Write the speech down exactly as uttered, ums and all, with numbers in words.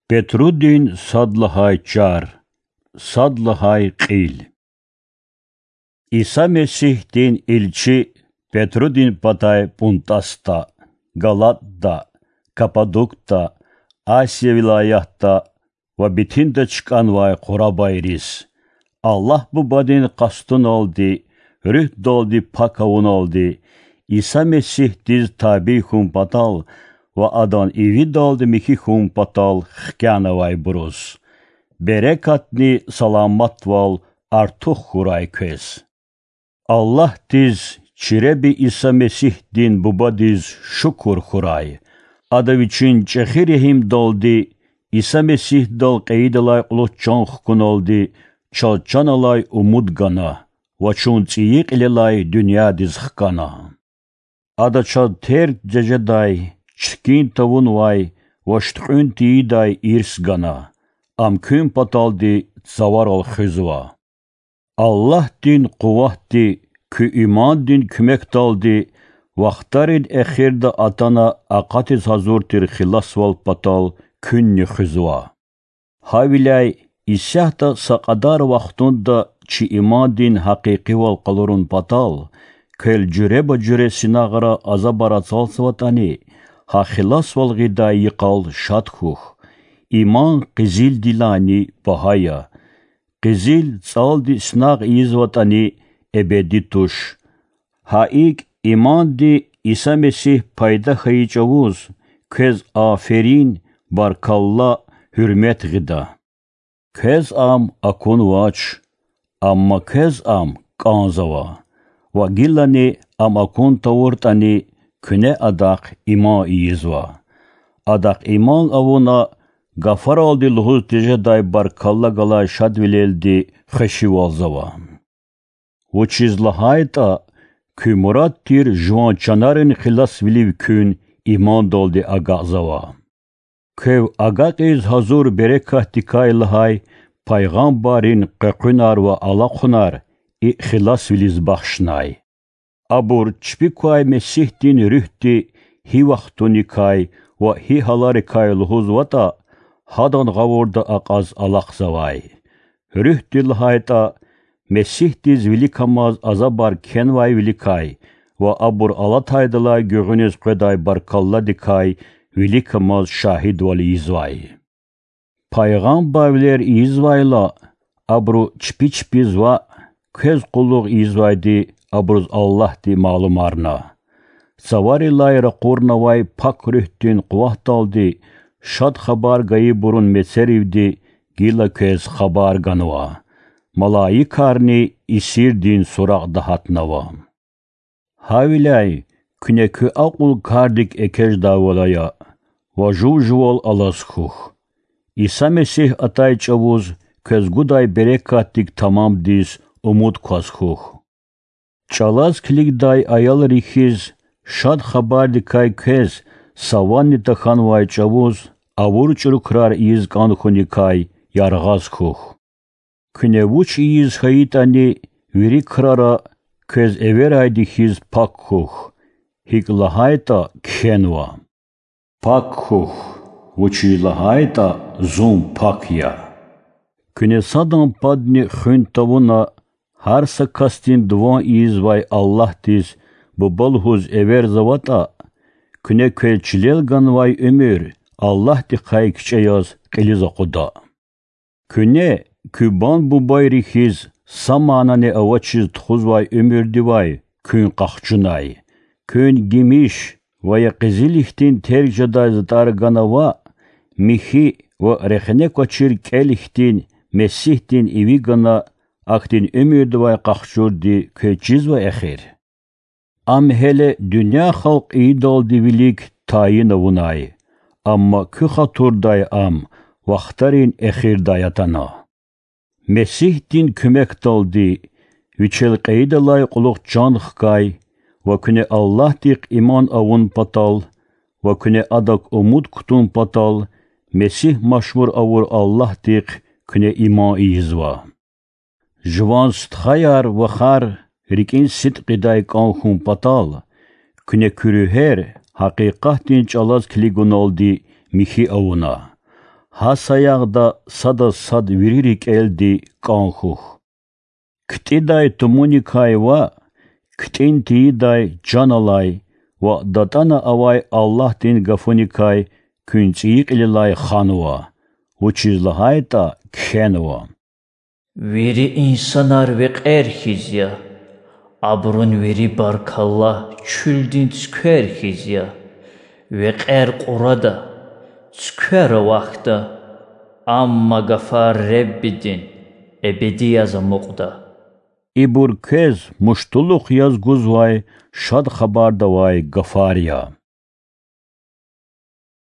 Петрудин сад лагьай чар, сад лагьай кьил. Иса Месигьдин илчи Петрудин патай ПӀунтӀасда, Галатда, Каппадокда, Асия вилаятда ва Битинда чкӀанвай къурабайриз, Аллагь Бубадин къастуналди, Руьгьдалди пак авуналди, Иса Месигьдиз табий хьун патал ва Адан ивидалди михьи хьун патал хкянавайбуруз, берекатни саламатвал артух хьурай квез. Аллагьдиз, чи Худа Иса Месигьдин Бубадиз шукур хьурай, Ада Вичин чӀехи регьимдалди, Иса Месигьдал кьейидалай кьулухъ чан хкуналди, чаз чан алай умуд гана ва чун цӀийи кьилелай дуьньядиз хкана. Ада чаз терг жедай, чиркин тавунвай ва шуьткьуьн тийидай ирс гана, Ам куьн паталди цаварал хуьзва. Аллагьдин къуватди куь имандин куьмекдалди вахтарин эхирда атана акъатиз гьазур тир хиласвал патал куьнни хуьзва. Гьавиляй исятда са кьадар вахтунда чи имандин гьакъикъивал къалурун патал квел жуьреба-жуьре синагъра азабар ацалзаватӀани, гьа хиласвал гъидай йикъал шад хьухь. Иман къизилдилайни багьа я. Къизил цӀалди синагъ ийизватӀани, эбеди туш. Гьа икӀ, иманди Иса Месигь пайда хьайи чӀавуз квез аферин, баркалла, гьуьрмет гъида. Квез ам акунвач, амма квез ам кӀанзава, ва гилани ам акун тавуртӀани, куьне адахъ иман ийизва. Адахъ иман авуна, гафаралди лугьуз тежедай баркалла галай шадвилелди хвешивалзава. Вучиз лагьайтӀа куь мурад тир жуван чанарин хиласвилив куьн имандалди агакьзава. Квев агакьиз гьазур берекатдикай лагьай пайгъамбаррин къекъуьнар ва алахъунар и хиласвилиз бахшнай. Абур чпик квай Месигьдин Руьгьди гьи вахтуникай ва гьи гьаларикай лугьузватӀа, гьадан гъавурда акьаз алахъзавай. Руьгьди лагьайтӀа, Месигьдиз виликамаз азабар кхьенвайвиликай ва абур алатайдалай гуьгъуьниз къведай баркалладикай виликамаз шагьидвал ийизвай. Пайгъамбарвилер ийизвайла, абуру чпи чпиз ваъ, квез къуллугъ ийизвайди абуруз Аллагьди малумарна. Цаварилай ракъурнавай Пак Руьгьдин къуватдалди Шад Хабар гайибурун мецеривди гила квез хабар ганва. Малаикарни исирдин суракьда гьатнава. Гьавиляй куьне куь акьул кардик экечӀдайвал ая ва жув-жувал алаз хьухь. Иса Месигь атай чӀавуз квез гудай берекатдик тамамдиз умуд кваз хьухь. ЧӀалаз килигдай аялри хьиз, Шад Хабардикай квез са ванни тахьанвай чӀавуз авур чӀуру крар ийиз кӀан хьуникай яргъаз хьухь. Куьне вуч ийиз хьайитӀани, вири крара квез эверайди хьиз пак хьухь, гьикӀ лагьайтӀа кхьенва: Пак хьухь, вучиз лагьайтӀа Зун пак я. Куьне садан падни хуьн тавуна, гьар са касдин дуван ийизвай Аллагьдиз Буба лугьуз эверзаватӀа, куьне квез чилел ганвай уьмуьр Аллагьдихъай кичӀе яз кьилиз акъуда. Куьне, куь бан-бубайри хьиз, са манани авачиз тухузвай уьмуьрдивай куьн къахчунай. Куьн гимиш ва я къизил хьтин терг жедай затӀар гана ваъ, михьи ва рехне квачир кӀел хьтин Месигьдин иви гана, ахьтин уьмуьрдивай къахчурди квез чизва эхир? Ам гьеле дуьнья халкь ийидалди вилик тайин авунай, амма куь хатурдай ам вахтарин эхирдай атана. Месигьдин куьмекдалди, вичел кьейидалай кьулухъ чан хкай ва куьне Аллагьдихъ иман авун патал ва куьне Адак умуд кутун патал, Месигь машгьур авур Аллагьдихъ куьне иман ийизва. Жуван стхаяр-вахар рикӀин сидкьидай кӀан хьун патал, куьне куь руьгьер гьакъикъатдин чӀалаз килигуналди михьи авуна. Гьа саягъда садаз сад вири рикӀелди кӀан хьухь. КтӀидай тумуникай ваъ, ктӀин тийидай чан алай ва датӀана авай Аллагьдин гафуникай куьн цӀийи кьилелай ханва, вучиз лагьайтӀа кхьенва: Вири инсанар векьер хьиз я, абурун вири баркалла чуьлдин цуьквер хьиз я. Векьер кьурада, цуьквер авахьда, амма гафар Реббидин эбеди яз амукьда. Ибур квез муштулух яз гузвай Шад Хабардавай гафар я.